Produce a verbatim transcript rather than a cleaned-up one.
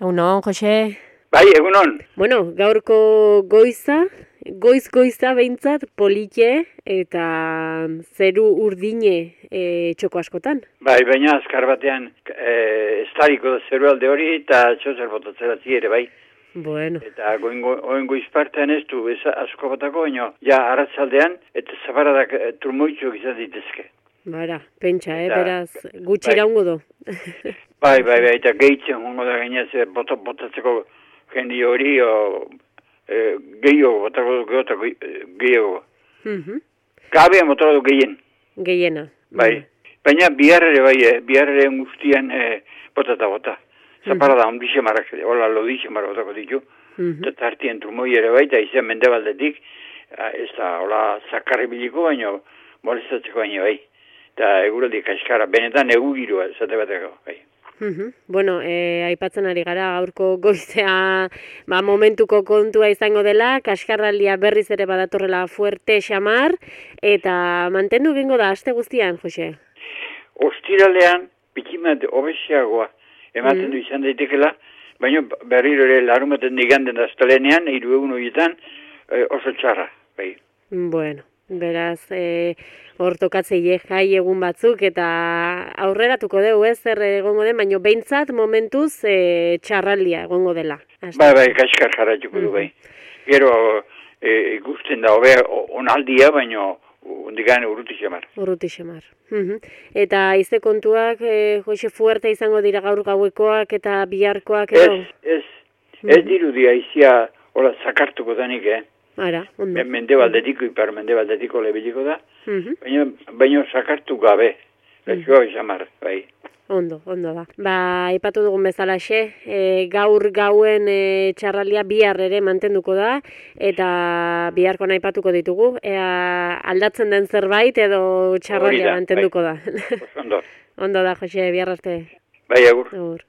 Egunon, Jose. Bai, egunon. Bueno, gaurko goiza, goiz-goiza behintzat polite eta zeru urdine e, txoko askotan. Bai, baina azkar batean e, estariko da zeru alde hori eta txozer botatzera ere, bai. Bueno. Eta oen goizpartean ez du ez asko batako, baina ja arratzaldean eta zabaradak e, turmoitxuak izan ditezke. Bara, pentsa, eh, eta, beraz, gutxi bai. iraungo do. bai, bai, bai, eta gehitzen hongo da gainaz bota, botatzeko jendi hori, o, e, gehiago, botako du gehiago, gehiago. Mhm. Kabea motako du gehien. Gehiena. Bai, baina bihar ere bai, eh, bihar ere guztian eh, botata bota. Zapara da, ondixe marrak, hola lodixe marrak botako ditu. Mhm. Eta tartien trumoi ere bai, eta izan mendebaldetik, ez da, hola zakarri biliko baino, molestatzeko baino bai. Eta eguraldi kaskara, benetan egu girua, zate bateko, bai. Mhm. Bueno, e, aipatzen ari gara gaurko goizea ba, momentuko kontua izango dela, kaskarraldia berriz ere badatorrela fuerte xamar, eta mantendu gingo da aste guztian, Jose? Ostiralean, pikimat obesiagoa ematen du izan daitekela, baina berriro ere larumaten diganden da astelenean, hiru egun horietan e, oso txarra, bai. Bueno, beraz, e, hor tokatzei jai egun batzuk, eta aurreratuko dugu ez, zer egongo den, baina behintzat momentuz e, txarraldia egongo dela. Bai, bai, kaskar jarratuko du, bai. Gero, e, ikusten da, hobe, onaldia, baina ondigan urruti xamar. Urruti xamar. Eta izte kontuak, e, Jose, fuerte izango dira gaur gauekoak eta biharkoak edo? Ez, ez, ez dirudi aizia, hola, zakartuko danik, eh? Ara, ondo. Mendebaldetiko, ipar mendebaldetiko lebiliko da, Mhm. baina, baina zakartu gabe, gaixoa xamar, bai. Ondo, ondo da. Ba, aipatu dugun bezalaxe, e, gaur gauen e, txarralia bihar ere mantenduko da, eta biharko aipatuko ditugu. Ea aldatzen den zerbait edo txarralia Hori da, mantenduko bai. da. Ondo. Ondo da, Jose, bihar arte. Bai, agur. Agur.